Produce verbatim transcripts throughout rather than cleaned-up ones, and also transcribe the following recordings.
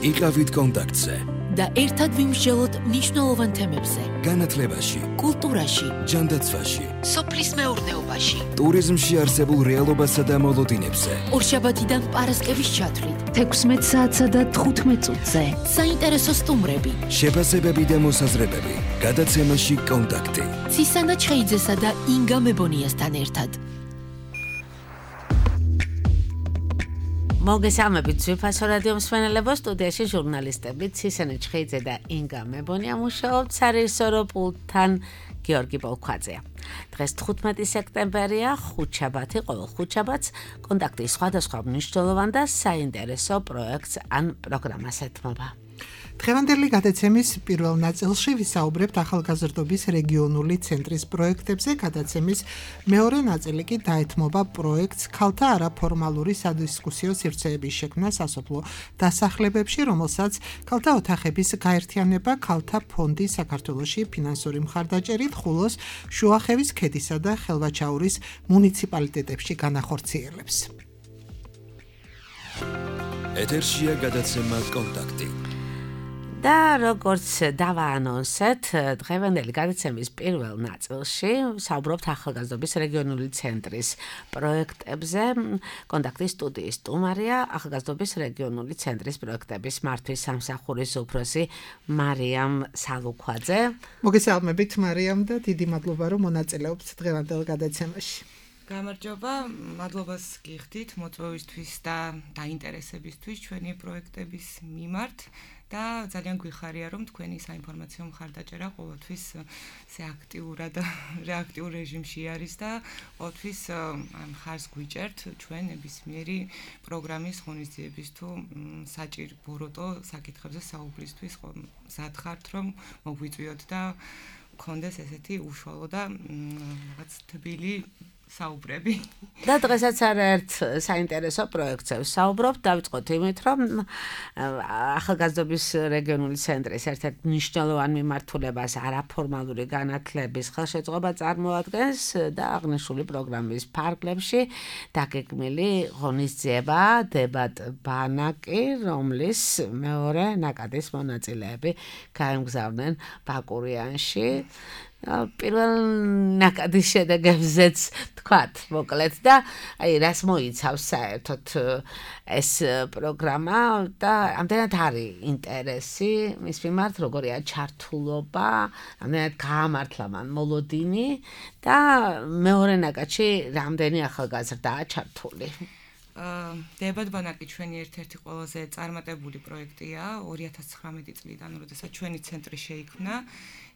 იყავით კონტაქტზე და ერთად ვიმსჯელოთ მნიშვნელოვან თემებზე. განათლებაში, კულტურაში, ჯანდაცვაში, სოფლის მეურნეობაში, ტურიზმში არსებულ რეალობასა და მოლოდინებზე. ორშაბათიდან პარასკევის ჩათვლით, თექვსმეტ საათსა და თხუთმეტ წუთზე. საინტერესო სტუმრები, შეფასებები და მოსაზრებები. გადაცემაში კონტაქტი. ცისანა ჩხეიძესა და ინგა მებონიასთან ერთად. მოგესალმებით ძვირფასო რადიო მსმენელებო, სტუდიაში ჟურნალისტები ცისანა ჩხეიძე და ინგა მებონია მუშაობთ სარეჟისორო პულტთან გიორგი პოლქვაძეა. დღეს თხუთმეტი სექტემბერია, ხუთშაბათი, ყოველ ხუთშაბათს კონტაქტი სხვადასხვა მნიშვნელოვან და საინტერესო პროექტს ან პროგრამას ეთმობა. დღევანდელი გადაცემის პირველ ნაწილში ვისაუბრებთ ახალგაზრდობის რეგიონული ცენტრის პროექტებზე, გადაცემის მეორე ნაწილი კი დაეთმობა პროექტს ქალთა არაფორმალური სადისკუსიო სივრცეების შექმნა სასოფლო დასახლებებში, რომელსაც ქალთა ოთახების გაერთიანება, ქალთა ფონდი საქართველოში ფინანსური მხარდაჭერით ხულოს, შუახევის ქედისა და ხელვაჩაურის მუნიციპალიტეტებში განახორციელებს. ეთერშია გადაცემა კონტაქტი. და როგორც დავაანონსეთ, დღევანდელი გადაცემის პირველ ნაწილში საუბრობთ ახალგაზრდობის რეგიონული ცენტრის პროექტებზე. კონტაქტის სტუდიის სტუმარია ახალგაზრდობის რეგიონული ცენტრის პროექტების მართვის სამსახურის უფროსი მარიამ სალუქვაძე. მოგესალმებით მარიამ და დიდი მადლობა რომ მონაწილეობთ დღევანდელ გადაცემაში. გამარჯობა, მადლობას გიხდით მოწვევისთვის და დაინტერესებისთვის ჩვენი პროექტების მიმართ. და ძალიან გვიხარია, რომ თქვენი საინფორმაციო მხარდაჭერა ყოველთვის აქტიურად და რეაქტიურ რეჟიმში არის და ყოველთვის ხარს გვიჭერთ ჩვენ ნებისმიერი პროგრამის ღონისძიების თუ საჭირო ბოროტო საკითხებზე საუბრისთვის მზად ხართ, რომ მოგვიწვიოთ და გქონდეს ესეთი უშუალო და რაღაც თბილი საუბრები. და დღესაც არაერთ საინტერესო პროექტზე ვსაუბრობთ. დავიწყოთ იმით, რომ ახალგაზრდობის რეგიონული ცენტრის ერთ-ერთ მნიშვნელოვან მიმართულებას არაფორმალური განათლების ხელშეწყობა წარმოადგენს და აღნიშნული პროგრამის ფარგლებში დაგეგმილი ღონისძიება დებატ-ბანაკი, რომლის მეორე ნაკადის მონაწილეები გაემგზავრნენ ბაკურიანში. პირველ ნაკადის შედეგებზეც თქვათ მოკლედ და აი რას მოიცავს საერთოდ ეს პროგრამა და ამდენად არის ინტერესი მის მიმართ, როგორია ჩართულობა, ამდენად გაამართლა მან მოლოდინი და მეორე ნაკადში რამდენი ახალგაზრდაა ჩართული. დებატ-ბანაკი ჩვენი ერთ-ერთი ყველაზე წარმატებული პროექტია ორი ათას ცხრამეტი წლიდან, როდესაც ჩვენი ცენტრი შეიქმნა.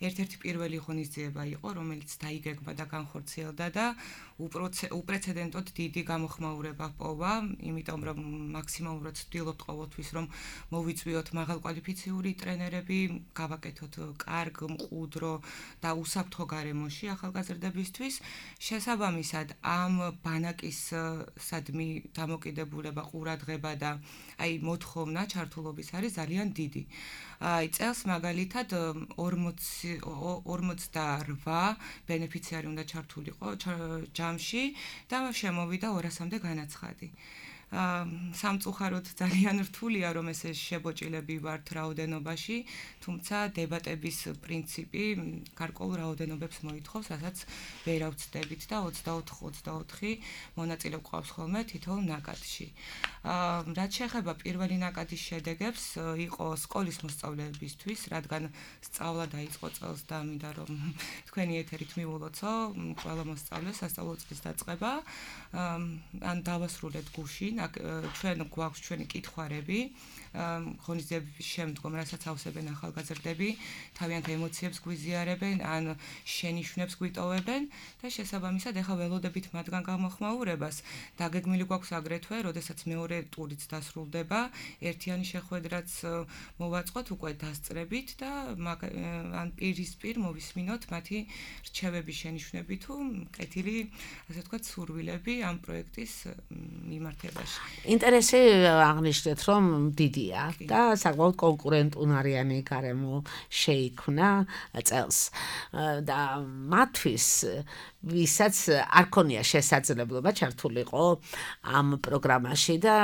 ერთ-ერთი პირველი ღონისძიება იყო, რომელიც დაიგეგმა და განხორციელდა და უპრეცედენტოდ დიდი გამოხმაურება ჰპოვა, იმიტომ რომ მაქსიმალურად ვცდილობთ ყოველთვის, რომ მოვიწვიოთ მაღალკვალიფიციური ტრენერები, გავაკეთოთ კარგ, მყუდრო და უსაფრთხო გარემოში ახალგაზრდებისთვის. შესაბამისად, ამ ბანაკის სადმი დამოკიდებულება, ყურადღება და აი მოთხოვნა ჩართულობის არის ძალიან დიდი. აი წელს მაგალითად ორმოცდაორვა ბენეფიციარი უნდა ჩართულიყო ჯამში და შემოვიდა ორასამდე განაცხადი. სამწუხაროდ ძალიან რთულია, რომ ესე შებოჭილები ვართ რაოდენობაში, თუმცა დებატების პრინციპი გარკვეულ რაოდენობებს მოითხოვს, რასაც ვერ ავწდებით და ოცდაოთხ ოცდაოთხი მონაწილე გვყავს ხოლმე თითოეულ ნაკადში. რაც შეეხება პირველი ნაკადის შედეგებს, იყო სკოლის მოსწავლეებისთვის, რადგან სწავლა დაიწყო წელს და მინდა რომ თქვენი ეთერით მივულოცო ყველა მოსწავლეს სასწავლო წლის დაწყება, ან დავასრულეთ გუშინ. ჩვენ გვაქვს ჩვენი კითხვარები, ღონისძიების შემდგომ, რასაც ავსებენ ახალგაზრდები, თავიანთ ემოციებს გვიზიარებენ, ან შენიშვნებს გვიტოვებენ და შესაბამისად ეხლა ველოდებით მათგან გამოხმაურებას. დაგეგმილი გვაქვს აგრეთვე, როდესაც მეორე ტურიც დასრულდება, ერთიანი შეხვედრაც მოვაწყოთ უკვე დასწრებით და ან პირისპირ მოვისმინოთ მათი რჩევების შენიშვნები თუ კეთილი, ასე ვთქვათ, სურვილები ამ პროექტის მიმართებაში. სფეროში. ინტერესი აღნიშნეთ, რომ დიდია და საკმაოდ კონკურენტუნარიანი გარემო შეიქმნა წელს და მათთვის ვისაც არ ქონია შესაძლებლობა ჩართულიყო ამ პროგრამაში და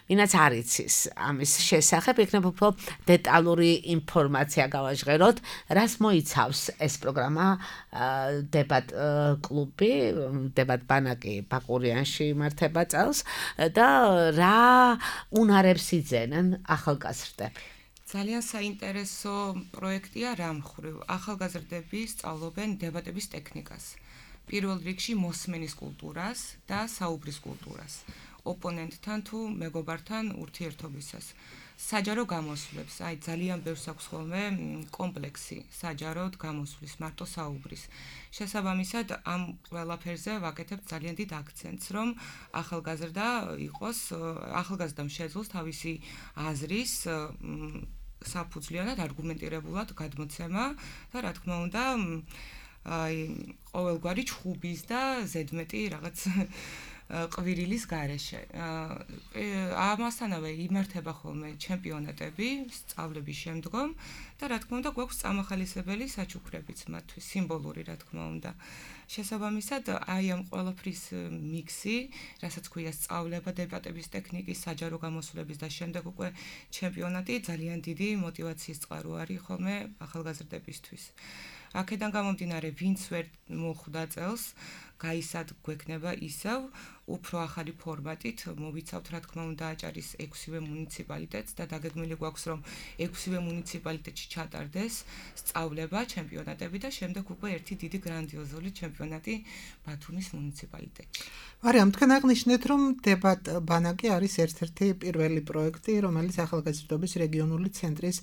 ვინაც არ იცის ამის შესახებ, იქნებ უფრო დეტალური ინფორმაცია გავაჟღეროთ, რას მოიცავს ეს პროგრამა დებატ კლუბი, დებატ ბანაკი ბაკურიანში იმართება წელს და რა უნარებს იძენენ ახალგაზრდები. ძალიან საინტერესო პროექტია რა მხრივ. ახალგაზრდები სწავლობენ დებატების ტექნიკას. პირველ რიგში მოსმენის კულტურას და საუბრის კულტურას. ოპონენტთან თუ მეგობართან ურთიერთობისას. საჯარო გამოსვლებს, აი ძალიან ბევრს აქვს ხოლმე კომპლექსი საჯაროდ გამოსვლის, მარტო საუბრის. შესაბამისად, ამ ყველაფერზე ვაკეთებთ ძალიან დიდ აქცენტს, რომ ახალგაზრდა იყოს, ახალგაზრდამ შეძლოს თავისი აზრის საფუძვლიანად არგუმენტირებულად გადმოცემა და რა თქმა უნდა, აი ყოველგვარი ჩხუბის და ზედმეტი რაღაც ყვირილის გარეშე. ამასთანავე იმართება ხოლმე ჩემპიონატები სწავლების შემდგომ და რა თქმა უნდა გვაქვს წამახალისებელი საჩუქრებიც მათთვის, სიმბოლური რა თქმა უნდა. შესაბამისად, აი ამ ყველაფრის მიქსი, რასაც ქვია სწავლება დებატების ტექნიკის, საჯარო გამოსვლების და შემდეგ უკვე ჩემპიონატი ძალიან დიდი мотиваციის წყარო არის ხოლმე ახალგაზრდებისთვის. აქედან გამომდინარე, ვინც ვერ მოხვდა წელს, გაისად გვექნება ისევ უფრო ახალი ფორმატით მოვიცავთ რა თქმა უნდა აჭარის ექვსივე მუნიციპალიტეტს და დაგეგმილი გვაქვს რომ ექვსივე მუნიციპალიტეტში ჩატარდეს სწავლება, ჩემპიონატები და შემდეგ უკვე ერთი დიდი გრანდიოზული ჩემპიონატი ბათუმის მუნიციპალიტეტში. მარიამ, თქვენ აღნიშნეთ რომ დებატ ბანაკი არის ერთ-ერთი პირველი პროექტი, რომელიც ახალგაზრდობის რეგიონული ცენტრის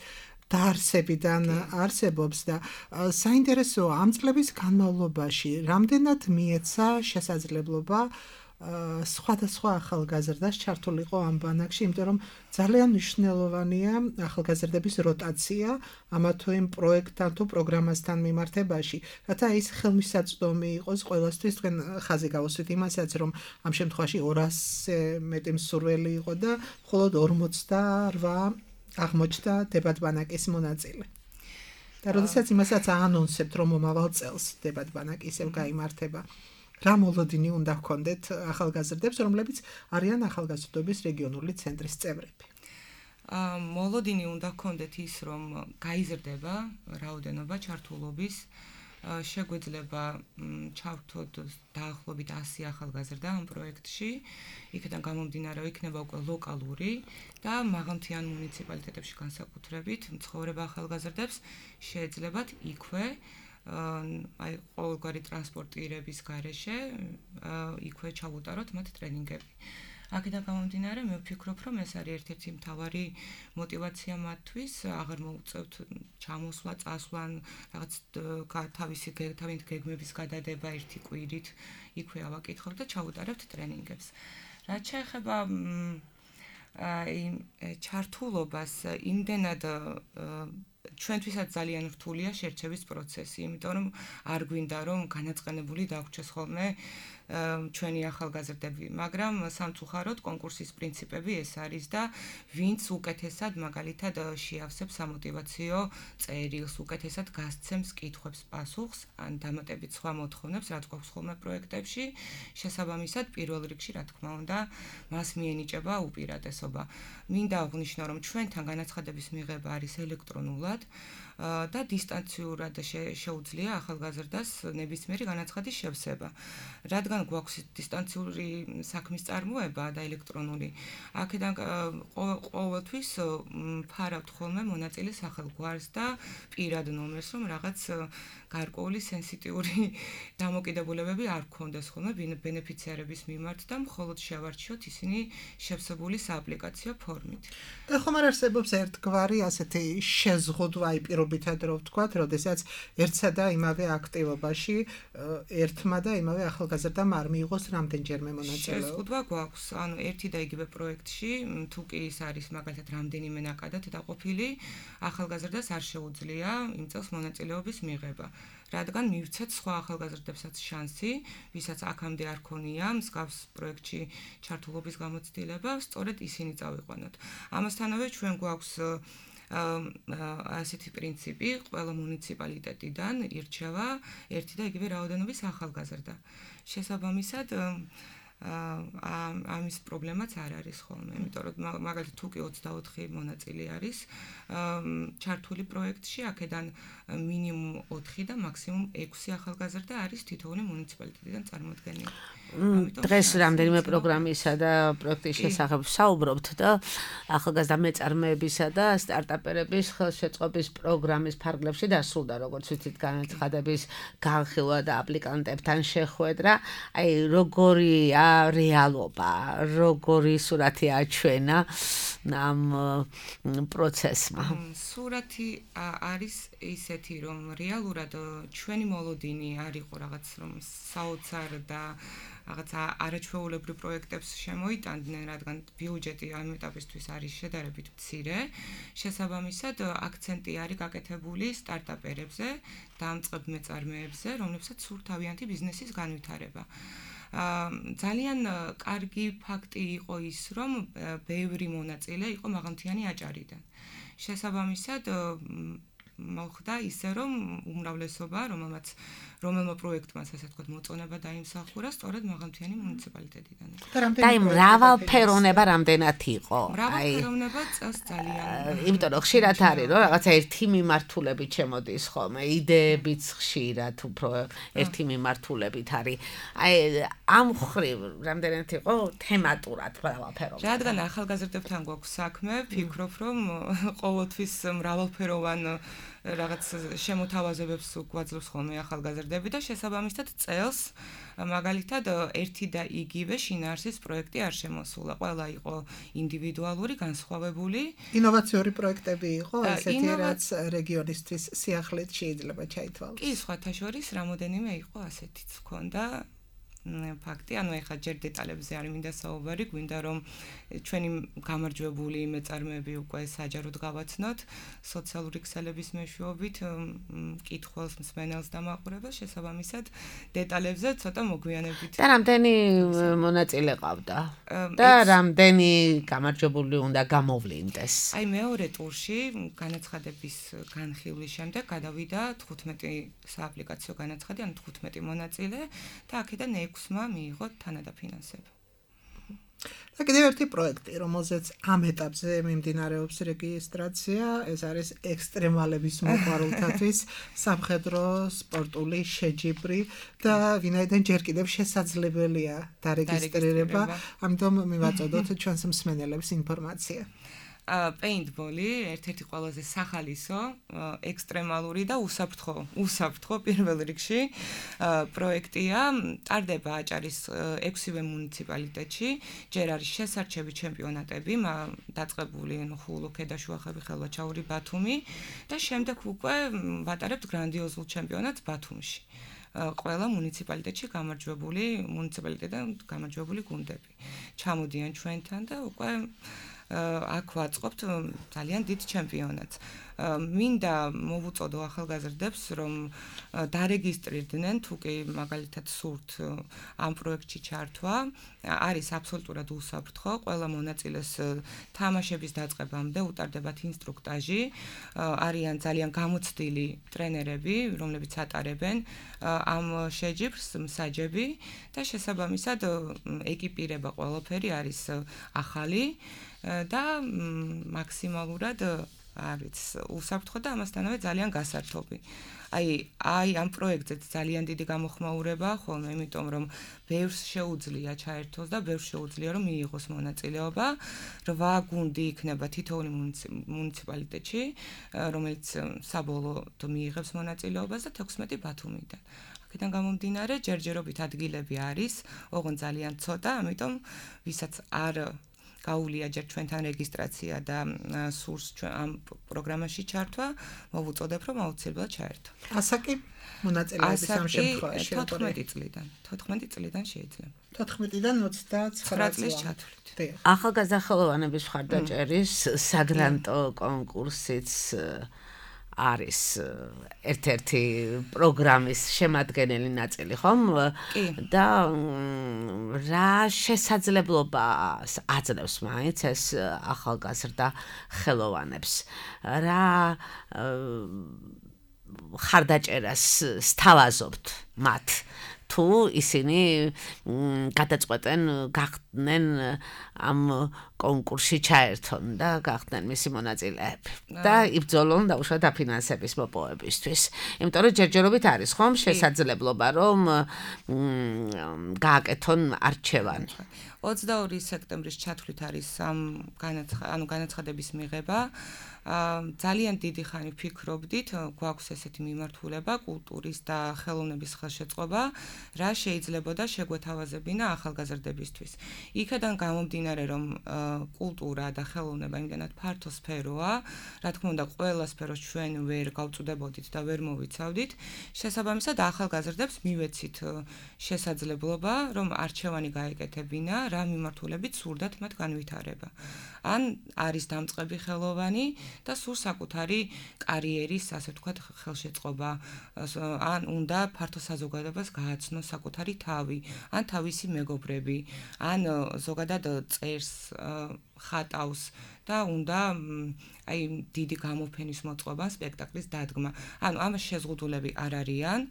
დაარსებიდან არსებობს და საინტერესოა ამ წლების განმავლობაში რამდენად მიეცა შესაძლებლობა სხვადასხვა ახალგაზრდას ჩართულიყო ამ ბანაკში, იმიტომ რომ ძალიან მნიშვნელოვანია ახალგაზრდების როტაცია ამა თუ იმ პროექტთან თუ პროგრამასთან მიმართებაში, რათა ის ხელმისაწვდომი იყოს ყველასთვის. თქვენ ხაზი გავუსვით იმასაც, რომ ამ შემთხვევაში ორასზე მეტი მსურველი იყო და მხოლოდ ორმოცდაორვა აღმოჩნდა დებატ ბანაკის მონაწილე. და როდესაც იმასაც აანონსებთ, რომ მომავალ წელს დებატ ბანაკი ისევ გაიმართება, რა მოლოდინი უნდა ჰქონდეთ ახალგაზრდებს, რომლებიც არიან ახალგაზრდობის რეგიონული ცენტრის წევრები? მოლოდინი უნდა ჰქონდეთ ის, რომ გაიზრდება რაოდენობა ჩართულობის, შეგვეძლება ჩავთოთ დაახლოებით ასი ახალგაზრდა ამ პროექტში. იქიდან გამომდინარე, იქნება უკვე ლოკალური და მაღალმთიან მუნიციპალიტეტებში განსაკუთრებით მცხოვრებ ახალგაზრდებს შეეძლებათ იქვე აი ყოველგვარი ტრანსპორტირების გარეშე იქვე ჩავუტაროთ მათ ტრენინგები. აქედან გამომდინარე, მე ვფიქრობ, რომ ეს არის ერთ-ერთი მთავარი мотиваცია მათთვის, აღარ მოუწევთ ჩამოსვლა, წასვლა, რაღაც თავისი თავის გეგმების გადადება ერთი კვირით იქვე ავაკითხავთ და ჩავუტარებთ ტრენინგებს. რაც შეეხება აი ჩართულობას, იმდენად ჩვენთვისაც ძალიან რთულია შერჩევის პროცესი, იმიტომ რომ არ გვინდა რომ განაწყენებული დაგვრჩეს ხოლმე ჩვენი ახალგაზრდები, მაგრამ სამწუხაროდ კონკურსის პრინციპები ეს არის და ვინც უკეთესად მაგალითად შეავსებს სამოტივაციო წერილს, უკეთესად გასცემს კითხვებს პასუხს, ან დამატებით სხვა მოთხოვნებს, რაც გვაქვს ხოლმე პროექტებში, შესაბამისად პირველ რიგში რა თქმა უნდა მას მიენიჭება უპირატესობა. მინდა აღვნიშნო, რომ ჩვენთან განაცხადების მიღება არის ელექტრონულად და დისტანციურად შეუძლია ახალგაზრდას ნებისმიერი განაცხადის შევსება. რადგან გვაქვს დისტანციური საქმის წარმოება და ელექტრონული, აქედან ყოველთვის ფარავთ ხოლმე მონაწილის სახელგვარს და პირად ნომერს, რომ რაღაც გარკვეული სენსიტიური დამოკიდებულებები არ გქონდეს ხოლმე ბენეფიციარების მიმართ და მხოლოდ შევარჩიოთ ისინი შევსებული სააპლიკაციო ფორმით. ხომ არ არსებობს ერთგვარი ასეთი შეზღუდვა აი პირობითად რო ვთქვათ, როდესაც ერთსა და იმავე აქტივობაში ერთმა და იმავე ახალგაზრდამ არ მიიღოს რამდენჯერმე მონაწილეობა? შეზღუდვა გვაქვს, ანუ ერთი და იგივე პროექტში, თუ კი ის არის მაგალითად რამდენიმე ნაკადად დაყოფილი, ახალგაზრდას არ შეუძლია იმ წელს მონაწილეობის მიღება. რადგან მივცეთ სხვა ახალგაზრდებსაც შანსი, ვისაც აქამდე არ ქონია მსგავს პროექტში ჩართულობის გამოცდილება, სწორედ ისინი წავიყვანოთ. ამასთანავე ჩვენ გვაქვს ასეთი პრინციპი, ყველა მუნიციპალიტეტიდან ირჩევა ერთი და იგივე რაოდენობის ახალგაზრდა. შესაბამისად, ამის პრობლემაც არ არის ხოლმე, იმიტომ რომ მაგალითად თუ კი ოცდაოთხი მონაწილე არის ჩართული პროექტში, აქედან მინიმუმ ოთხი და მაქსიმუმ ექვსი ახალგაზრდა არის თითოეული მუნიციპალიტეტიდან წარმოდგენილი. დღეს რამდენიმე პროგრამისა და პროექტის შესახებ საუბრობთ და ახალგაზრდა მეწარმეებისა და სტარტაპერების ხელშეწყობის პროგრამის ფარგლებში დასრულდა, როგორც ვიცით, განაცხადების განხილვა და აპლიკანტებთან შეხვედრა. აი, როგორია რეალობა, როგორი სურათი აჩვენა ამ პროცესმა? სურათი არის ისეთი, რომ რეალურად ჩვენი მოლოდინი არ იყო რაღაც რომ საოცარ და რაღაც არაჩვეულებრივ პროექტებს შემოიტანდნენ, რადგან ბიუჯეტი ამ ეტაპისთვის არის შედარებით მცირე. შესაბამისად, აქცენტი არის გაკეთებული სტარტაპერებზე, დამწყებ მეწარმეებზე, რომლებსაც სურთ თავიანთი ბიზნესის განვითარება. ძალიან კარგი ფაქტი იყო ის, რომ ბევრი მონაწილე იყო მაღალმთიანი აჭარიდან. შესაბამისად, მოხდა ისე, რომ უმრავლესობა, რომელმაც რომელმა პროექტმაც ასე ვთქვათ, მოწონება დაიმსახურა სწორედ მაღალმთიანი მუნიციპალიტეტიდან. და იმ მრავალფეროვნება რამდენად იყო? მრავალფეროვნება წელს ძალიან. იმიტომ რომ ხშირად არის, რომ რაღაცა ერთი მიმართულებით შემოდის ხოლმე, იდეებიც ხშირად უფრო ერთი მიმართულებით არის. აი, ამ ხრივ რამდენად იყო თემატურად მრავალფეროვნება. რადგან ახალგაზრდებთან გვაქვს საქმე, ფიქრობ, რომ ყოველთვის მრავალფეროვან რაღაც შემოთავაზებებს გვაძლევს ხოლმე ახალგაზრდები და შესაბამისად წელს მაგალითად ერთი და იგივე შინაარსის პროექტი არ შემოსულა. ყველა იყო ინდივიდუალური, განსხვავებული. ინოვაციური პროექტები იყო, ესეთი რაც რეგიონისთვის სიახლეთ შეიძლება ჩაითვალოს. კი, სხვათა შორის რამოდენიმე იყო ასეთიც ჰქონდა. ფაქტი, ანუ ეხლა ჯერ დეტალებზე არ მინდა საუბარი, გვინდა რომ ჩვენი გამარჯვებული მეწარმეები უკვე საჯაროდ გავაცნოთ სოციალური ქსელების მეშვეობით კითხველს მსმენელს და მაყურებელს, შესაბამისად დეტალებზე ცოტა მოგვიანებით. და რამდენი მონაწილე ყავდა? და რამდენი გამარჯვებული უნდა გამოვლინდეს? აი, მეორე ტურში განაცხადების განხილვის შემდეგ გადავიდა თხუთმეტი სააპლიკაციო განაცხადი, ანუ თხუთმეტი მონაწილე და აქედან ექვსმა მიიღო თანადაფინანსება. და კიდევ ერთი პროექტი, რომელზეც ამ ეტაპზე მიმდინარეობს რეგისტრაცია, ეს არის ექსტრემალების მოყვარულთათვის სამხედრო სპორტული შეჯიბრი და ვინაიდან ჯერ კიდევ შესაძლებელია დარეგისტრირება, ამიტომ მივაწოდოთ ჩვენს მსმენელებს ინფორმაცია. პეინტბოლი ერთ-ერთი ყველაზე სახალისო, ექსტრემალური და უსაფრთხო, უსაფრთხო პირველ რიგში პროექტია. ტარდება აჭარის ექვსივე მუნიციპალიტეტში, ჯერ არის შესარჩევი ჩემპიონატები, დაწყებული ხულო, ქედაშუახევი, ხელვაჩაური, ბათუმი და შემდეგ უკვე ვატარებთ გრანდიოზულ ჩემპიონატს ბათუმში. ყველა მუნიციპალიტეტში გამარჯვებული მუნიციპალიტეტიდან გამარჯვებული გუნდები ჩამოდიან ჩვენთან და უკვე აქ ვაწყობთ ძალიან დიდ ჩემპიონატს. მინდა მოვუწოდო ახალგაზრდებს, რომ დარეგისტრირდნენ, თუ კი მაგალითად სურთ ამ პროექტში ჩართვა, არის აბსოლუტურად უსაფრთხო, ყველა მონაწილეს თამაშების დაწყებამდე უტარდებათ ინსტრუქტაჟი, არიან ძალიან გამოცდილი ტრენერები, რომლებიც ატარებენ ამ შეჯიბრს, მსაჯები და შესაბამისად ეკიპირება ყველაფერი არის ახალი და მაქსიმალურად არის უსაფრთხო და ამასთანავე ძალიან გასართობი. აი, აი ამ პროექტზეც ძალიან დიდი გამოხმაურებაა ხოლმე, იმიტომ რომ ბევრს შეუძლია ჩაერთოს და ბევრს შეუძლია რომ მიიღოს მონაწილეობა. რვა გუნდი იქნება თითოეული მუნიციპალიტეტში, რომელიც საბოლოოდ მიიღებს მონაწილეობას და თექვსმეტი ბათუმიდან. აქედან გამომდინარე, ჯერჯერობით ადგილები არის, ოღონდ ძალიან ცოტა, ამიტომ ვისაც არ გაუვლია ჯერ ჩვენთან რეგისტრაცია და სურს ჩვენ ამ პროგრამაში ჩართვა, მოვუწოდებ რომ აუცილებლად ჩაერთო. ასაკი მონაწილეობის ამ შემთხვევაში თოთხმეტი წლიდან, თოთხმეტი წლიდან შეიძლება. თოთხმეტიდან ოცდაცხრა წლის ჩათვლით. ახალგაზრდა ხელოვანების მხარდაჭერის საგრანტო კონკურსიც არის ერთ-ერთი პროგრამის შემადგენელი ნაწილი, ხომ? და რა შესაძლებლობას აძლევს მაინც ეს ახალგაზრდა ხელოვანებს? რა ხარდაჭერას სთავაზობთ მათ? თუ ისინი გადაწყვეტენ გახდნენ ამ კონკურსში ჩაერთონ და გახდნენ მისი მონაწილეები და იბრძოლონ დაუშვათ დაფინანსების მოპოვებისთვის. იმიტომ რომ ჯერჯერობით არის ხომ შესაძლებლობა რომ გააკეთონ არჩევანი. ოცდაორი სექტემბრის ჩათვლით არის ამ ანუ განაცხადების მიღება. ძალიან დიდი ხანი ვფიქრობდით, გვაქვს ესეთი მიმართულება კულტურის და ხელოვნების ხელშეწყობა, რა შეიძლებოდა შეგვეთავაზებინა ახალგაზრდებისთვის. იქიდან გამომდინარე, რომ კულტურა და ხელოვნება იმდენად ფართო სფეროა, რა თქმა უნდა, ყველა სფეროს ჩვენ ვერ გავწუდებოდით და ვერ მოვიცავდით, შესაბამისად ახალგაზრდებს მივეცით შესაძლებლობა, რომ არჩევანი გაეკეთებინა, რა მიმართულებით სურდათ მათ განვითარება. ან არის დამწყები ხელოვანი და სულ საკუთარი კარიერის, ასე ვთქვათ, ხელშეწყობა, ან უნდა ფართო საზოგადოებას გააცნოს საკუთარი თავი, ან თავისი მეგობრები, ან ზოგადად წერს, ხატავს და უნდა აი დიდი გამოფენის მოწყობა, სპექტაკლის დადგმა. ანუ ამას შეზღუდულები არ არიან.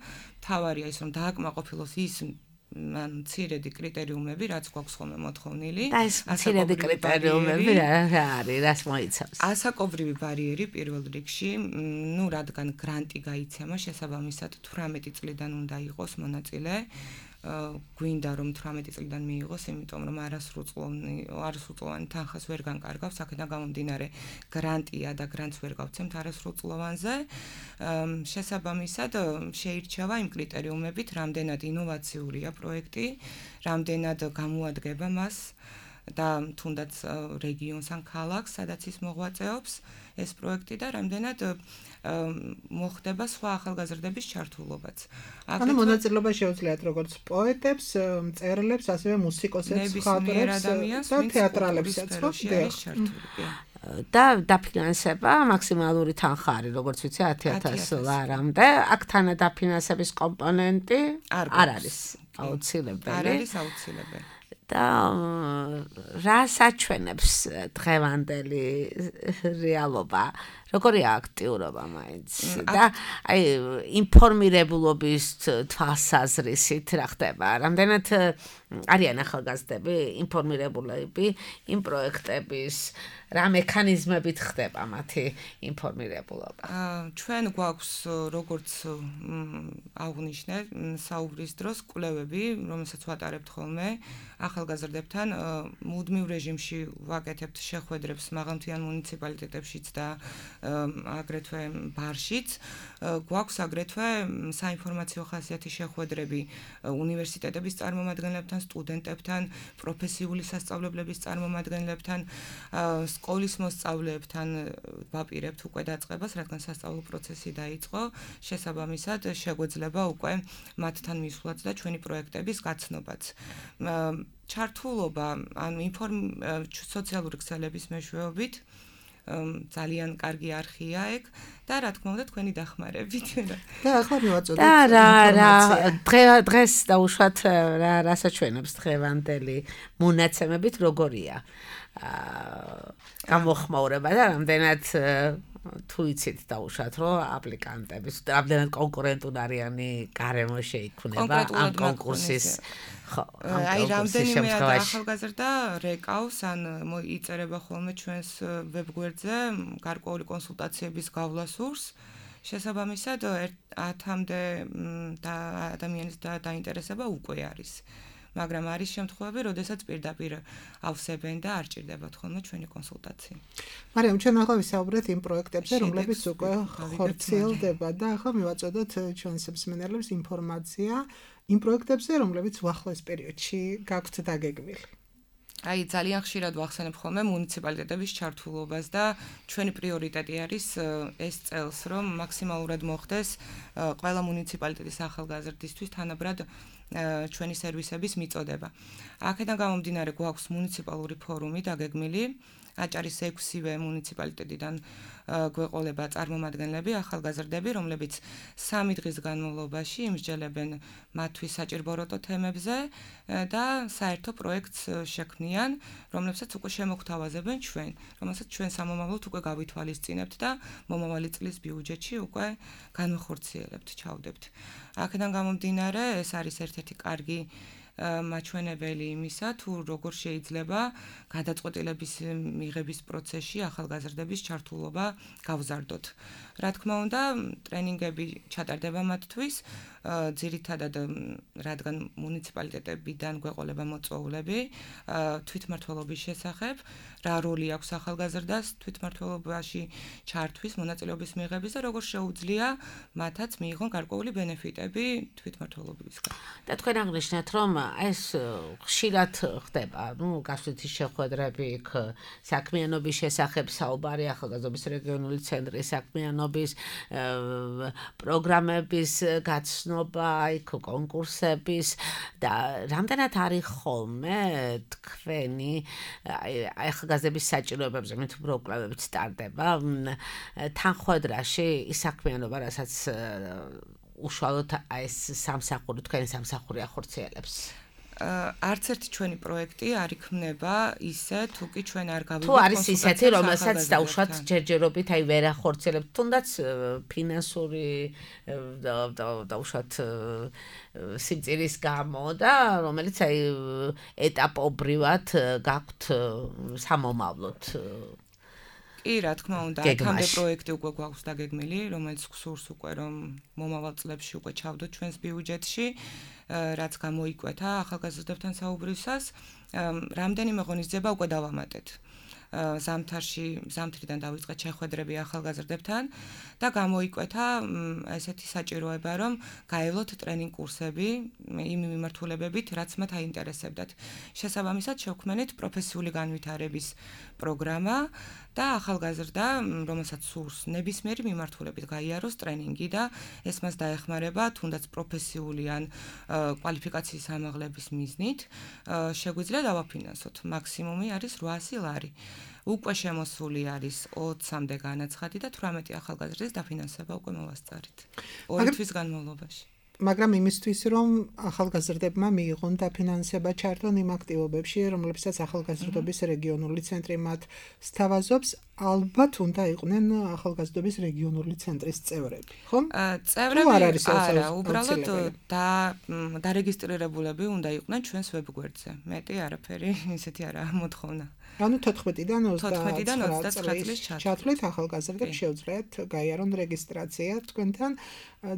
თავარია ის რომ დააკმაყოფილოს ის ან მცირედი კრიტერიუმები, რაც გვაქვს ხოლმე მოთხოვნილი. და ეს მცირედი კრიტერიუმები რა არის, რას მოიცავს? ასაკობრივი ბარიერი პირველ რიგში, ну, რადგან გრანტი გაიცემა, შესაბამისად თვრამეტი წლიდან უნდა იყოს მონაწილე. გვინდა რომ თვრამეტი წლიდან მიიღოს, იმიტომ რომ არასრულწლოვანი არასრულწლოვანი თანხას ვერ განკარგავს, აქედან გამომდინარე გრანტია და გრანტს ვერ გავცემთ არასრულწლოვანზე. შესაბამისად შეირჩევა იმ კრიტერიუმებით, რამდენად ინოვაციურია პროექტი, რამდენად გამოადგება მას და თუნდაც რეგიონს ან ქალაქს, სადაც ის მოღვაწეობს ეს პროექტი და რამდენად მოხდება სხვა ახალგაზრდების ჩართულობაც. ანუ მონაწილეობა შეუძლიათ როგორც პოეტებს, მწერლებს, ასევე მუსიკოსებს, ხატვრებს და თეატრალებსაც, ხო? და დაფინანსება მაქსიმალური თანხა არის, როგორც ვიცი, ათი ათას ლარამდე. აქ თანადაფინანსების კომპონენტი არ არის აუცილებელი. არ არის აუცილებელი. და რა საჩვენებს დღევანდელი რეალობა, როგორია აქტიურობა მაინც და აი ინფორმირებულობის თვალსაზრისით რა ხდება, რამდენად არიან ახალგაზრდები ინფორმირებულები იმ პროექტების, რა მექანიზმებით ხდება მათი ინფორმირებულობა? ჩვენ გვაქვს როგორც აღვნიშნე საუბრის დროს კვლევები, რომელსაც ვატარებთ ხოლმე ახალგაზრდებთან, მუდმივ რეჟიმში ვაკეთებთ შეხვედრებს მაღალმთიან მუნიციპალიტეტებშიც და აგრეთვე ბარშიც. გვაქვს აგრეთვე საინფორმაციო ხასიათის შეხვედრები უნივერსიტეტების წარმომადგენლებთან, სტუდენტებთან, პროფესიული სასწავლებლების წარმომადგენლებთან, სკოლის მოსწავლეებთან ვაპირებთ უკვე დაწყებას, რადგან სასწავლო პროცესი დაიწყო, შესაბამისად შეგვეძლება უკვე მათთან მისვლაც და ჩვენი პროექტების გაცნობაც. ჩართულობა, ანუ ინფორმ სოციალური ქსელების მეშვეობით ძალიან კარგი არხია ეგ და რა თქმა უნდა თქვენი დახმარებით. და ახლა მივაწოდოთ. და რა რა დღეს დაუშვათ რა რასაჩვენებს დღევანდელი მონაცემებით როგორია გამოხმაურება და რამდენად თუ იცით დაუშვათ რომ აპლიკანტების რამდენად კონკურენტული არიანი გარემო შეიქმნება ამ კონკურსის ხო აი რამდენიმე ახალგაზრდა რეკავს ან იწერება ხოლმე ჩვენს ვებგვერდზე გარკვეული კონსულტაციების გავლა სურს შესაბამისად ათამდე და ადამიანის დაინტერესება უკვე არის მაგრამ არის შემთხვევები, როდესაც პირდაპირ ავსებენ და არ ჭირდებათ ხოლმე ჩვენი კონსულტაცია. მარიამ, ჩვენ ახლა ვისაუბრეთ იმ პროექტებზე, რომლებიც უკვე ხორციელდება და ახლა მივაწოდოთ ჩვენს მსმენელებს ინფორმაცია იმ პროექტებზე, რომლებიც უახლოეს პერიოდში გაქვთ დაგეგმილი. აი ძალიან ხშირად ვახსენებ ხოლმე მუნიციპალიტეტების ჩართულობას და ჩვენი პრიორიტეტი არის ეს წელს, რომ მაქსიმალურად მოხდეს ყველა მუნიციპალიტეტის ახალგაზრდისთვის თანაბრად ჩვენი სერვისების მიწოდება. აქედან გამომდინარე გვაქვს მუნიციპალური ფორუმი დაგეგმილი, აჭარის ექვსივე მუნიციპალიტეტიდან გვეყოლება წარმომადგენლები, ახალგაზრდები, რომლებიც სამი დღის განმავლობაში იმსჯელებენ მათთვის საჭირობროტო თემებზე და საერთო პროექტს შექმნიან, რომლებსაც უკვე შემოგთავაზებენ ჩვენ, რომელსაც ჩვენ სამომავლოდ უკვე გავითვალისწინებთ და მომავალი წლის ბიუჯეტში უკვე განვახორციელებთ, ჩავდებთ. აქედან გამომდინარე, ეს არის ერთ-ერთი კარგი მაჩვენებელი იმისა, თუ როგორ შეიძლება გადაწყვეტილების მიღების პროცესში ახალგაზრდების ჩართულობა გავზარდოთ. Რა თქმა უნდა, ტრენინგები ჩატარდება მათთვის, ძირითადად რადგან მუნიციპალიტეტებიდან გვეყოლება მოწვეულები თვითმმართველობის შესახებ, რა როლი აქვს ახალგაზრდას თვითმმართველობაში ჩართვის, მონაწილეობის მიღების და როგორ შეუძლია მათაც მიიღონ გარკვეული ბენეფიტები თვითმმართველობისგან. და თქვენ აღნიშნეთ, რომ ეს ხშირად ხდება, ну, გასვლითი შეხვედრები იქ საქმიანობის შესახებ საუბარი ახალგაზრდობის რეგიონული ცენტრის საქმიანობის პროგრამების გაცნობა, იქ კონკურსების და რამდენად არის ხოლმე თქვენი ახალგაზრდების საჭიროებებზე მით უფრო უკვლევებით სტარდება თანხმედრაში ის საქმიანობა, რასაც უშუალოდ ეს სამსახური თქვენი სამსახური ახორციელებს. არც ერთი ჩვენი პროექტი არ იქმნება ისე, თუ კი ჩვენ არ გავიგებთ თუ არის ისეთი, რომელსაც დაუშვათ ჯერჯერობით აი ვერ ახორციელებთ, თუნდაც ფინანსური დაუშვათ სიმწირის გამო და რომელიც აი ეტაპობრივად გაქვთ სამომავლოდ. კი, რა თქმა უნდა, ათამდე პროექტი უკვე გვაქვს დაგეგმილი, რომელიც გსურს უკვე რომ მომავალ წლებში უკვე ჩავდოთ ჩვენს ბიუჯეტში, რაც გამოიკვეთა ახალგაზრდებთან საუბრისას, რამდენიმე ღონისძიება უკვე დავამატეთ. ზამთარში, ზამთრიდან დავიწყეთ შეხვედრები ახალგაზრდებთან და გამოიკვეთა ესეთი საჭიროება, რომ გაევლოთ ტრენინგ კურსები იმ მიმართულებებით, რაც მათ აინტერესებდათ. შესაბამისად, შევქმნით პროფესიული განვითარების პროგრამა და ახალგაზრდა, რომელსაც სურს ნებისმიერი მიმართულებით გაიაროს ტრენინგი და ეს მას დაეხმარება თუნდაც პროფესიული ან კვალიფიკაციის ამაღლების მიზნით, შეგვიძლია დავაფინანსოთ. მაქსიმუმი არის რვაასი ლარი. უკვე შემოსული არის ოცამდე განაცხადი და თვრამეტი ახალგაზრდის დაფინანსება უკვე მოვასწარით. ორი თვის განმავლობაში. მაგრამ იმისთვის, რომ ახალგაზრდებმა მიიღონ დაფინანსება ჩართონ იმ აქტივობებში, რომლებსაც ახალგაზრდობის რეგიონული ცენტრი მათ სთავაზობს, ალბათ უნდა იყვნენ ახალგაზრდობის რეგიონული ცენტრის წევრები, ხო? წევრები არა, უბრალოდ და დარეგისტრირებულები უნდა იყვნენ ჩვენს ვებგვერდზე. მეტი არაფერი ისეთი არაა მოთხოვნა. ანუ თოთხმეტიდან ოცდაათი წლის ჩათვლით ახალგაზრდებს შეუძლიათ გაიარონ რეგისტრაცია თქვენთან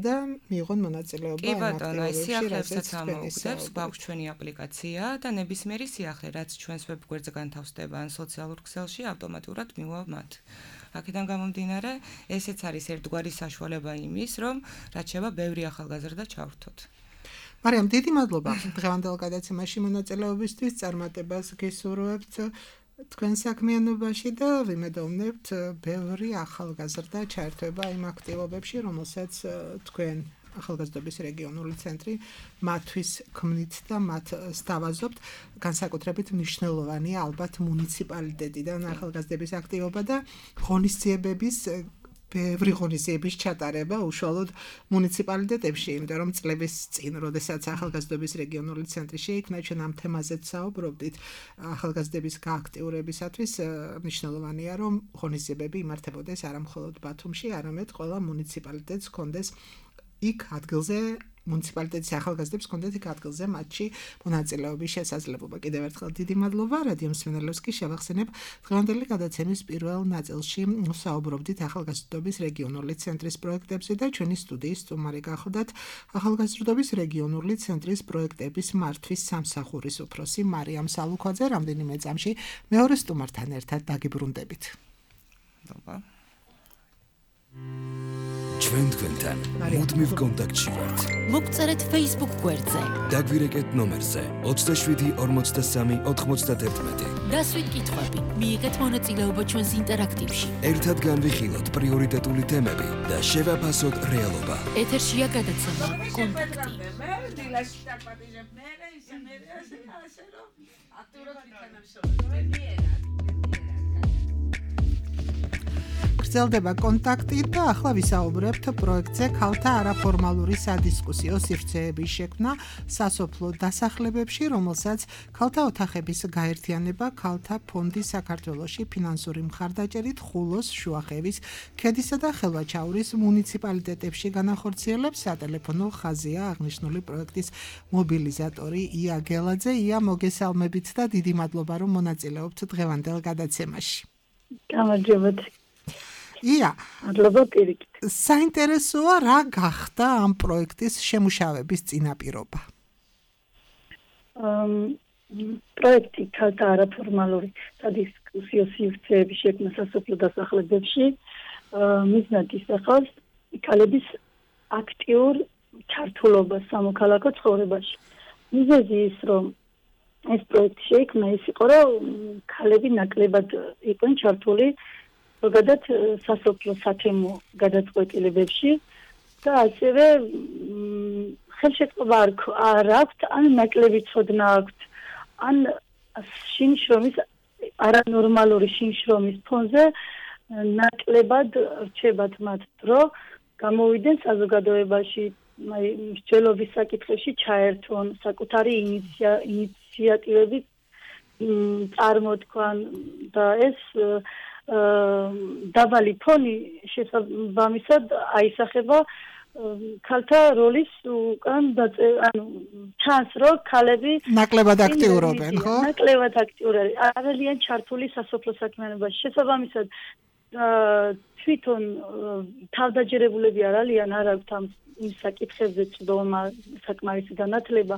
და მიიღონ მონაწილეობა იმ აქტივობებში, რასაც ამოუგდებს, გვაქვს ჩვენი აპლიკაცია და ნებისმიერი სიახლე, რაც ჩვენს ვებგვერდზე განთავსდება ან სოციალურ ქსელში, ავტომატურად მივა მათ. აქედან გამომდინარე, ესეც არის ერთგვარი საშუალება იმის, რომ რაც შევა ბევრი ახალგაზრდა ჩავრთოთ. მარიამ, დიდი მადლობა დღევანდელ გადაცემაში მონაწილეობისთვის, წარმატებას გისურვებთ თქვენ საქმიანობაში და ვიმედოვნებთ ბევრი ახალგაზრდა ჩაერთვება იმ აქტივობებში, რომელსაც თქვენ ახალგაზრდობის რეგიონული ცენტრი მათთვის ქმნით და მათ სთავაზობთ. განსაკუთრებით მნიშვნელოვანია ალბათ მუნიციპალიტეტიდან ახალგაზრდების აქტივობა და ღონისძიებების ბევრი ღონისძიების ჩატარება უშუალოდ მუნიციპალიტეტებში, იმიტომ რომ წლების წინ, როდესაც ახალგაზრდობის რეგიონული ცენტრი შეიქმნა, ჩვენ ამ თემაზეც საუბრობდით. ახალგაზრდების გააქტიურებისათვის მნიშვნელოვანია, რომ ღონისძიებები იმართებოდეს არა მხოლოდ ბათუმში, არამედ ყველა მუნიციპალიტეტს ჰქონდეს იქ ადგილზე მუნიციპალიტეტის ახალგაზრდებს ჰქონდათ იქ ადგილზე მათში მონაწილეობის შესაძლებლობა. კიდევ ერთხელ დიდი მადლობა. რადიო მსმენელებს კი შევახსენებ, დღევანდელი გადაცემის პირველ ნაწილში ვსაუბრობდით ახალგაზრდობის რეგიონული ცენტრის პროექტებზე და ჩვენი სტუდიის სტუმარი გახლდათ ახალგაზრდობის რეგიონული ცენტრის პროექტების მართვის სამსახურის უფროსი მარიამ სალუქვაძე. რამდენიმე წამში მეორე სტუმართან ერთად დაგიბრუნდებით. დობა. ჩვენ თქვენთან მუდმივ კონტაქტში ვართ. მოგწერეთ Facebook გვერდზე. დაგვირეკეთ ნომერზე ოცდაშვიდი ორმოცდასამი ოთხმოცდაათი. დასვით კითხვები, მიიღეთ მონაწილეობა ჩვენს ინტერაქტივში. ერთად განვიხილოთ პრიორიტეტული თემები და შევაფასოთ რეალობა. ეთერშია გადაცემა კონტაქტი. მე დილაში დაკმატიჟებ მე ისე მე ასე რომ აქტიურად ვიქანავ შევიდე. გრძელდება კონტაქტი და ახლა ვისაუბრებთ პროექტზე ქალთა არაფორმალური სადისკუსიო სივრცეების შექმნა სასოფლო დასახლებებში, რომელსაც ქალთა ოთახების გაერთიანება ქალთა ფონდი საქართველოში ფინანსური მხარდაჭერით ხულოს, შუახევის, ქედისა და ხელვაჩაურის მუნიციპალიტეტებში განახორციელებს. სატელეფონო ხაზია აღნიშნული პროექტის მობილიზატორი ია გელაძე. ია, მოგესალმებით და დიდი მადლობა, რომ მონაწილეობთ დღევანდელ გადაცემაში. გამარჯობათ. ია, მადლობა პირიქით. საინტერესოა რა გახდა ამ პროექტის შემუშავების წინაპირობა? ამ პროექტი ქალთა არაფორმალური სადისკუსიო სივრცეების შექმნა სასოფლო დასახლებებში მიზნად ისახავს ქალების აქტიურ ჩართულობას სამოქალაქო ცხოვრებაში. მიზეზი ის, რომ ეს პროექტი შეიქმნა, ის იყო, რომ ქალები ნაკლებად იყვნენ ჩართული ზოგადად სასოფლო სათემო გადაწყვეტილებებში და ასევე ხელშეწყობა არ აქვთ, ან ნაკლები ცოდნა აქვთ, ან შინშრომის არანორმალური შინშრომის ფონზე ნაკლებად რჩებათ მათ დრო გამოვიდნენ საზოგადოებაში, მსჯელობის საკითხებში ჩაერთონ, საკუთარი ინიციატივები წარმოთქვან და ეს დაბალი ფონი შესაბამისად აისახება ქალთა როლის უკან ანუ ჩანს, რომ ქალები ნაკლებად აქტიურობენ, ხო? ნაკლებად აქტიურები არიან ჩართული სასოფლო საქმიანობაში. შესაბამისად თვითონ თავდაჯერებულები არ არიან, არ აქვთ ამ საკითხებზე ცდომა, საკმარისი განათლება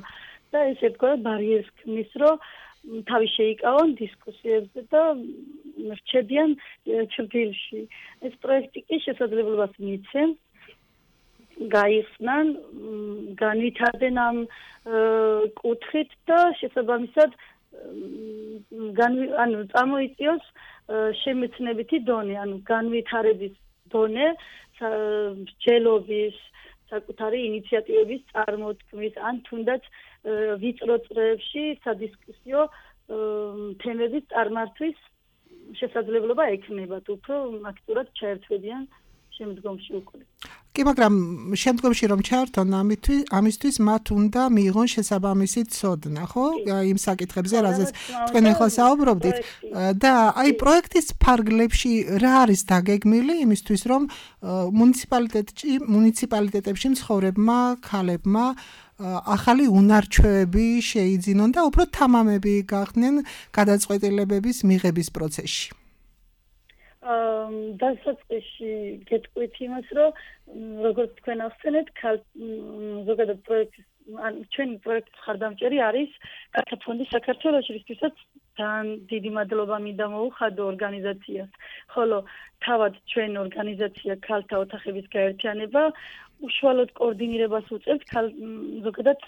და ეს ერთგვარად ბარიერს ქმნის, რომ თავი შეიკავონ დისკუსიებზე და რჩებიან ჩრდილში. ეს პროექტი კი შესაძლებლობას მიცემს გაიხსნან, განვითარდნენ ამ კუთხით და შესაბამისად ანუ წარმოიწიოს შემეცნებითი დონე, ანუ განვითარების დონე, მსჯელობის, საკუთარი ინიციატივების წარმოთქმის, ან თუნდაც ვიწრო წრეებში სადისკუსიო თემების წარმართვის შესაძლებლობა ექნებათ, უფრო აქტიურად ჩაერთვებიან შემდგომში უკვე. კი, მაგრამ შემდგომში რომ ჩაერთონ ამისთვის მათ უნდა მიიღონ შესაბამისი ცოდნა, ხო? იმ საკითხებზე, რაზეც თქვენ ახლა საუბრობდით და აი პროექტის ფარგლებში რა არის დაგეგმილი იმისთვის, რომ მუნიციპალიტეტში მუნიციპალიტეტებში მცხოვრებმა ქალებმა ახალი უნარჩვევები შეიძინონ და უფრო თამამები გახდნენ გადაწყვეტილებების მიღების პროცესში. დასაწყისში გეტყვით იმას, რომ როგორც თქვენ ახსენეთ, ზოგადად პროექტის ან ჩვენი პროექტის ხარდამჭერი არის ქალთა ფონდი საქართველოში, რისთვისაც ძალიან დიდი მადლობა მინდა მოუხადო ორგანიზაციას, ხოლო თავად ჩვენ ორგანიზაცია ქალთა ოთახების გაერთიანება უშუალოდ კოორდინირებას უწევთ ზოგადად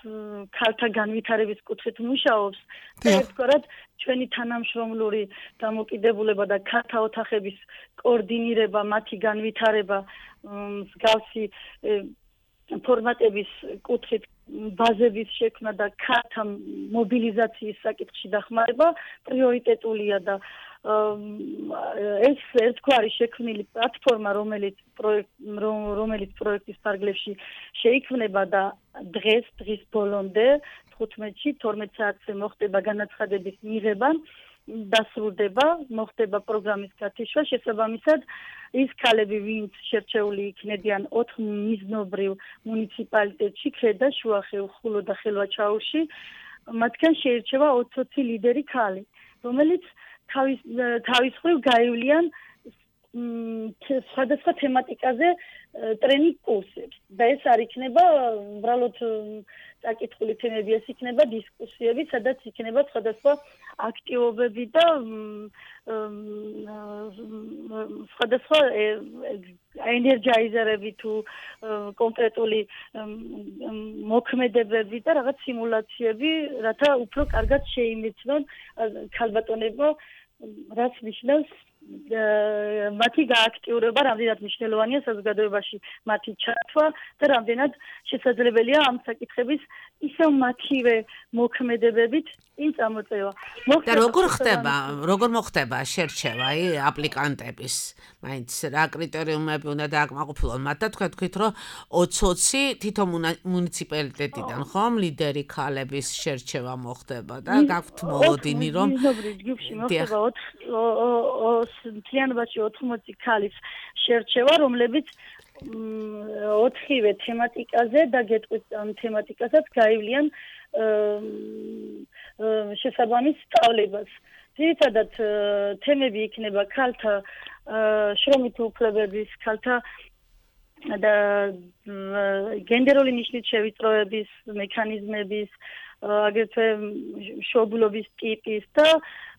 ქალთა განვითარების კუთხით მუშაობს და ერთგვარად ჩვენი თანამშრომლური დამოკიდებულება და ქალთა ოთახების კოორდინირება, მათი განვითარება მსგავსი ფორმატების კუთხით ბაზების შექმნა და ქალთა მობილიზაციის საკითხში დახმარება პრიორიტეტულია და ეს ერთგვარი შექმნილი პლატფორმა, რომელიც რომელიც პროექტის ფარგლებში შეიქმნება და დღეს დღის ბოლომდე თხუთმეტში თორმეტ საათზე მოხდება განაცხადების მიღება, დასრულდება, მოხდება პროგრამის გათიშვა, შესაბამისად ის ქალები, ვინც შერჩეული იქნებიან ოთხ მიზნობრივ მუნიციპალიტეტში, ქედა, შუახევ, ხულო და ხელვაჩაურში, მათგან შეირჩევა ოცი ლიდერი ქალი, რომელიც თავის თავის მხრივ გაივლიან სხვადასხვა თემატიკაზე ტრენინგ კურსებს და ეს არ იქნება უბრალოდ საკითხული თემები, ეს იქნება დისკუსიები, სადაც იქნება სხვადასხვა აქტივობები და სხვადასხვა ენერგიზერები თუ კონკრეტული მოქმედებები და რაღაც სიმულაციები, რათა უფრო კარგად შეიმეცნონ ქალბატონებმა, რაც ნიშნავს მათი გააქტიურება, რამდენად მნიშვნელოვანია საზოგადოებაში მათი ჩართვა და რამდენად შესაძლებელია ამ საკითხების ისევ მათივე მოქმედებებით წინ წამოწევა. და როგორ ხდება, როგორ მოხდება შერჩევა აპლიკანტების? მაინც რა კრიტერიუმები უნდა დააკმაყოფილონ მათ და თქვენ თქვით, რომ ოცი თითო მუნიციპალიტეტიდან ხომ ლიდერი ქალების შერჩევა მოხდება და გაქვთ მოლოდინი რომ ჯგუფში მოხდება მთლიანობაში ოთხმოცი ქალის შერჩევა, რომლებიც ოთხივე თემატიკაზე და გეტყვით ამ თემატიკასაც გაივლიან შესაბამის სწავლებას. ძირითადად თემები იქნება ქალთა შრომითი უფლებების, ქალთა და გენდერული ნიშნით შევიწროების მექანიზმების, აგრეთვე მშობლობის ტიპის და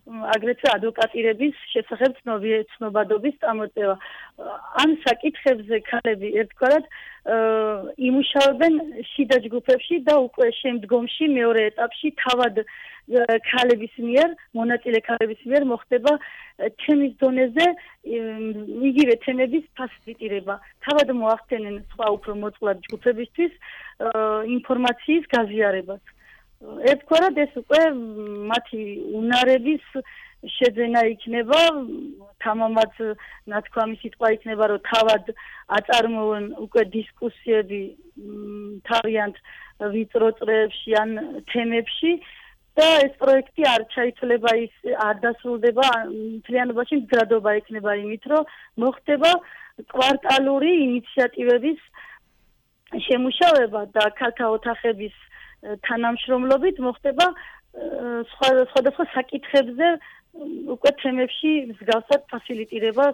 აგრეთვე ადვოკატირების შესახებ ცნობადობის წამოწევა. ამ საკითხებზე ქალები ერთგვარად იმუშავებენ შიდა ჯგუფებში და უკვე შემდგომში მეორე ეტაპში თავად ქალების მიერ, მონაწილე ქალების მიერ მოხდება თემის დონეზე იგივე თემების ფასილიტირება. თავად მოახდენენ სხვა უფრო მოწყვლად ჯგუფებისთვის ინფორმაციის გაზიარებას. ერთგვარად ეს უკვე მათი უნარების შეძენა იქნება, თამამად ნათქვამი სიტყვა იქნება, რომ თავად აწარმოონ უკვე დისკუსიები თავიანთ ვიწრო წრეებში ან თემებში და ეს პროექტი არ ჩაითვლება, ის არ დასრულდება მთლიანობაში, მდგრადობა იქნება იმით, რომ მოხდება კვარტალური ინიციატივების შემუშავება და ქალთა ოთახების თანამშრომლობით მოხდება სხვადასხვა საკითხებზე უკვე თემებში მსგავსად ფასილიტირება,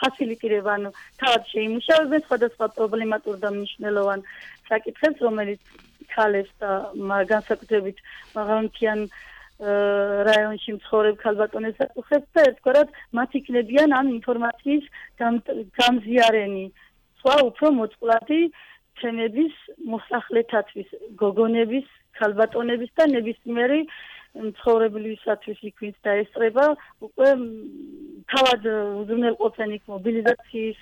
ფასილიტირება, ანუ თავად შეიმუშავებენ სხვადასხვა პრობლემატურ და მნიშვნელოვან საკითხებს, რომელიც ქალებს და განსაკუთრებით მაღალმთიან რაიონში მცხოვრებ ქალბატონებს აკუთვნებს და ერთგვარად მათ იქნებიან ამ ინფორმაციის გამზიარენი, სხვა უფრო მოწყვლადი თემების მოსახლეთათვის, გოგონების, ქალბატონების და ნებისმიერი მცხოვრებლისათვის იქ ვინც დაესწრება, უკვე თავად უზრუნველყოფენ იქ მობილიზაციის,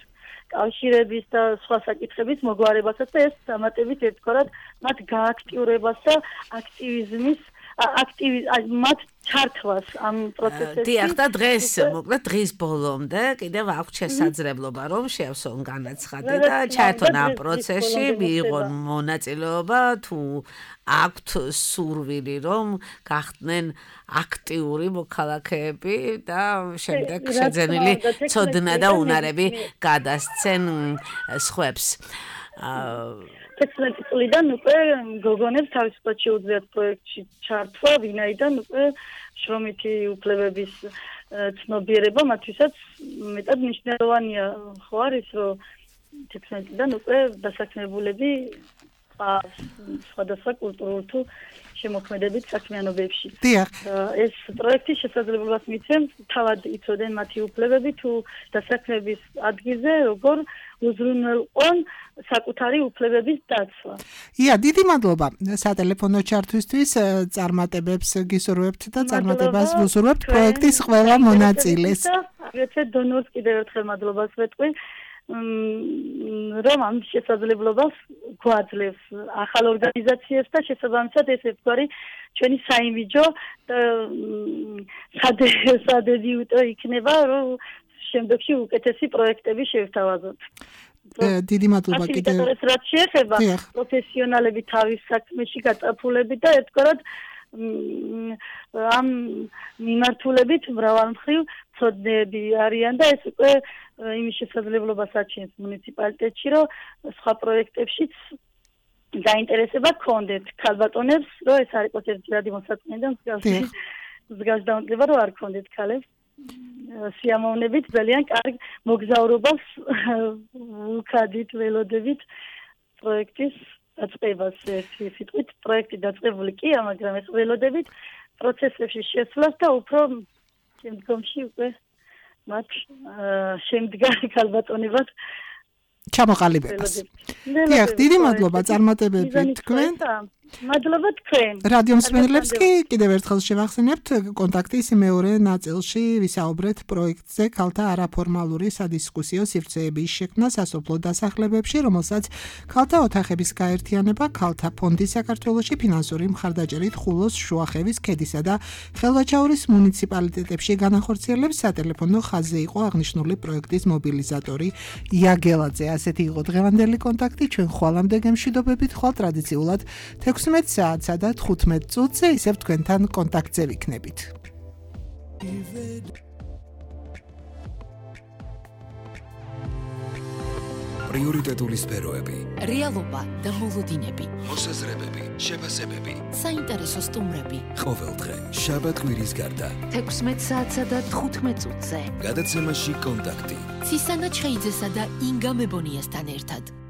კავშირების და სხვა საკითხების მოგვარებასაც და ეს დამატებით ერთგვარად მათ გააქტიურებას და აქტივიზმის აქტივი მათ ჩართვას ამ პროცესებში. დიახ, და დღეს, მოკლედ დღის ბოლომდე კიდევ აქვს შესაძლებლობა რომ შეავსონ განაცხადი და ჩაერთონ ამ პროცესში, მიიღონ მონაწილეობა თუ აქვთ სურვილი რომ გახდნენ აქტიური მოქალაქეები და შემდეგ შეძენილი ცოდნა და უნარები გადასცენ სხვებს. თექვსმეტი წლიდან უკვე გოგონებს თავისუფლად შეუძლიათ პროექტში ჩართვა, ვინაიდან უკვე შრომითი უფლებების ცნობიერება მათთვისაც მეტად მნიშვნელოვანია ხო არის, რომ თექვსმეტი წლიდან უკვე დასაქმებულები სხვადასხვა კულტურულ თუ შემოქმედებით საქმიანობებში. ეს პროექტი შესაძლებლობას მიცემს თავად იცოდენ მათი უფლებები თუ დასაქმების ადგილზე როგორ უზრუნველყონ საკუთარი უფლებების დაცვა. ია, დიდი მადლობა სატელეფონო ჩართვისთვის, წარმატებებს გისურვებთ და წარმატებას ვუსურვებთ პროექტის ყველა მონაწილეს. აგრეთვე დონორს კიდევ ერთხელ მადლობას ვეტყვი. რომ ამ შესაძლებლობას გვაძლევს ახალ ორგანიზაციებს და შესაბამისად ეს ერთგვარი ჩვენი საიმიჯო და სადებიუტო იქნება, რომ შემდეგში უკეთესი პროექტები შევთავაზოთ. დიდი მადლობა კიდევ. რაც შეეხება პროფესიონალები თავის საქმეში გაწაფულები და ერთგვარად ამ მიმართულებით მრავალმხრივ ცოდნები არიან და ეს უკვე იმის შესაძლებლობას აჩენს მუნიციპალიტეტში, რომ სხვა პროექტებშიც გაინტერესება გქონდეთ ქალბატონებს, რომ ეს არ იყოს ერთგვარი მოსაწმენდა და მსგავსი მსგავსი დამოკიდება, რომ არ გქონდეთ ქალებს. სიამოვნებით ძალიან კარგ მოგზაურობას ვუხადით, ველოდებით პროექტის დაწყებას. ერთი სიტყვით პროექტი დაწყებული კია, მაგრამ ეს ველოდებით პროცესებში შესვლას და უფრო შემდგომში უკვე მათ შემდგარი ქალბატონებად ჩამოყალიბებას. დიახ, დიდი მადლობა წარმატებები თქვენ. მადლობა თქვენ. რადიო მსმენელებს კი კიდევ ერთხელ შევახსენებთ კონტაქტის მეორე ნაწილში ვისაუბრეთ პროექტზე ქალთა არაფორმალური სადისკუსიო სივრცეების შექმნა სასოფლო დასახლებებში, რომელსაც ქალთა ოთახების გაერთიანება, ქალთა ფონდი საქართველოში ფინანსური მხარდაჭერით ხულოს, შუახევის, ქედისა და ხელვაჩაურის მუნიციპალიტეტებში განახორციელებს. სატელეფონო ხაზზე იყო აღნიშნული პროექტის მობილიზატორი იაგელაძე. ასეთი იყო დღევანდელი კონტაქტი. ჩვენ ხვალამდე გემშვიდობებით ხვალ ტრადიციულად თექვსმეტ საათსა და თხუთმეტ წუთზე ისევ თქვენთან კონტაქტზე ვიქნებით. პრიორიტეტული სფეროები, რეალობა და მოლოდინები, მოსაზრებები, შეფასებები, საინტერესო სტუმრები. ყოველდღე შაბათ კვირის გარდა თექვსმეტ საათსა და თხუთმეტ წუთზე. გადაცემაში კონტაქტი. ცისანა ჩხეიძესა და ინგა მებონიასთან ერთად.